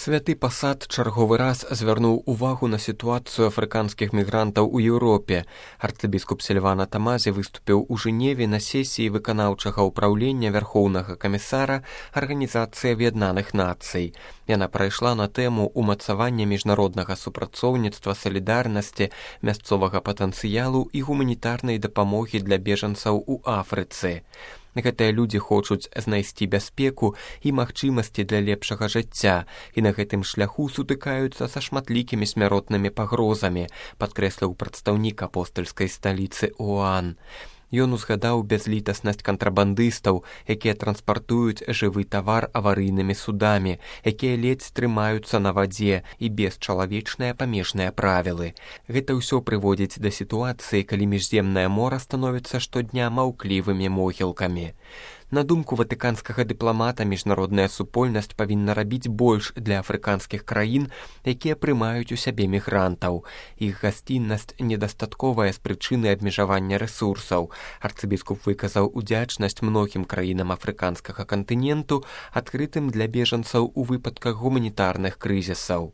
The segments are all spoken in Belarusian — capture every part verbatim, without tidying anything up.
Святы пасад чарговы раз звярнуў увагу на сітуацыю афрыканскіх мігрантаў у Еўропе. Арцыбіскуп Сільвана Тамазі выступіў у Жэневе на сесіі выканаўчага ўпраўлення Вярхоўнага камісара Арганізацыі Аб'яднаных Нацый. Яна прайшла на тэму ўмацавання міжнароднага супрацоўніцтва, салідарнасці, мясцовага патэнцыялу і гуманітарнай дапамогі для бежанцаў у Афрыцы. Гэтыя людзі хочуць знайсці бяспеку і магчымасці для лепшага жыцця, і на гэтым шляху сутыкаюцца са шматлікімі смяротнымі пагрозамі, падкрэсліў прадстаўнік апостальскай сталіцы ОАН. Ён узгадаў бязлітаснасць кантрабандыстаў, якія транспартуюць жывы тавар аварыйнымі судамі, якія ледзь трымаюцца на вадзе і бесчалавечныя памежныя правілы. Гэта ўсё прыводзіць да сітуацыі, калі міжземнае мора становіцца штодня маўклівымі могілкамі. На думку ватыканскага дыпламата, міжнародная супольнасць павінна рабіць больш для афрыканскіх краін, якія прымаюць у сябе мігрантаў. Іх гасціннасць недастатковая з прычыны абмежавання рэсурсаў. Арцыбіскуп выказаў удзячнасць многім краінам афрыканскага кантыненту, адкрытым для бежанцаў у выпадках гуманітарных крызісаў.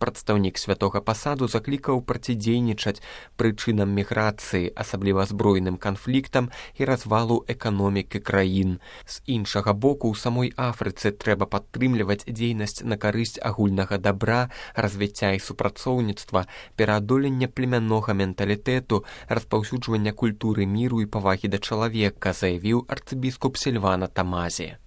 Прадстаўнік святога пасаду заклікаў процідзейнічаць прычынам міграцыі, асабліва збройным канфліктам і развалу эканомікі краін. З іншага боку, у самой Афрыцы трэба падтрымліваць дзейнасць на карысць агульнага дабра, развіцця і супрацоўніцтва, пераадолення племяннога менталітэту, распаўсюджвання культуры міру і павагі да чалавека, заявіў арцыбіскуп Сільвана Тамазі.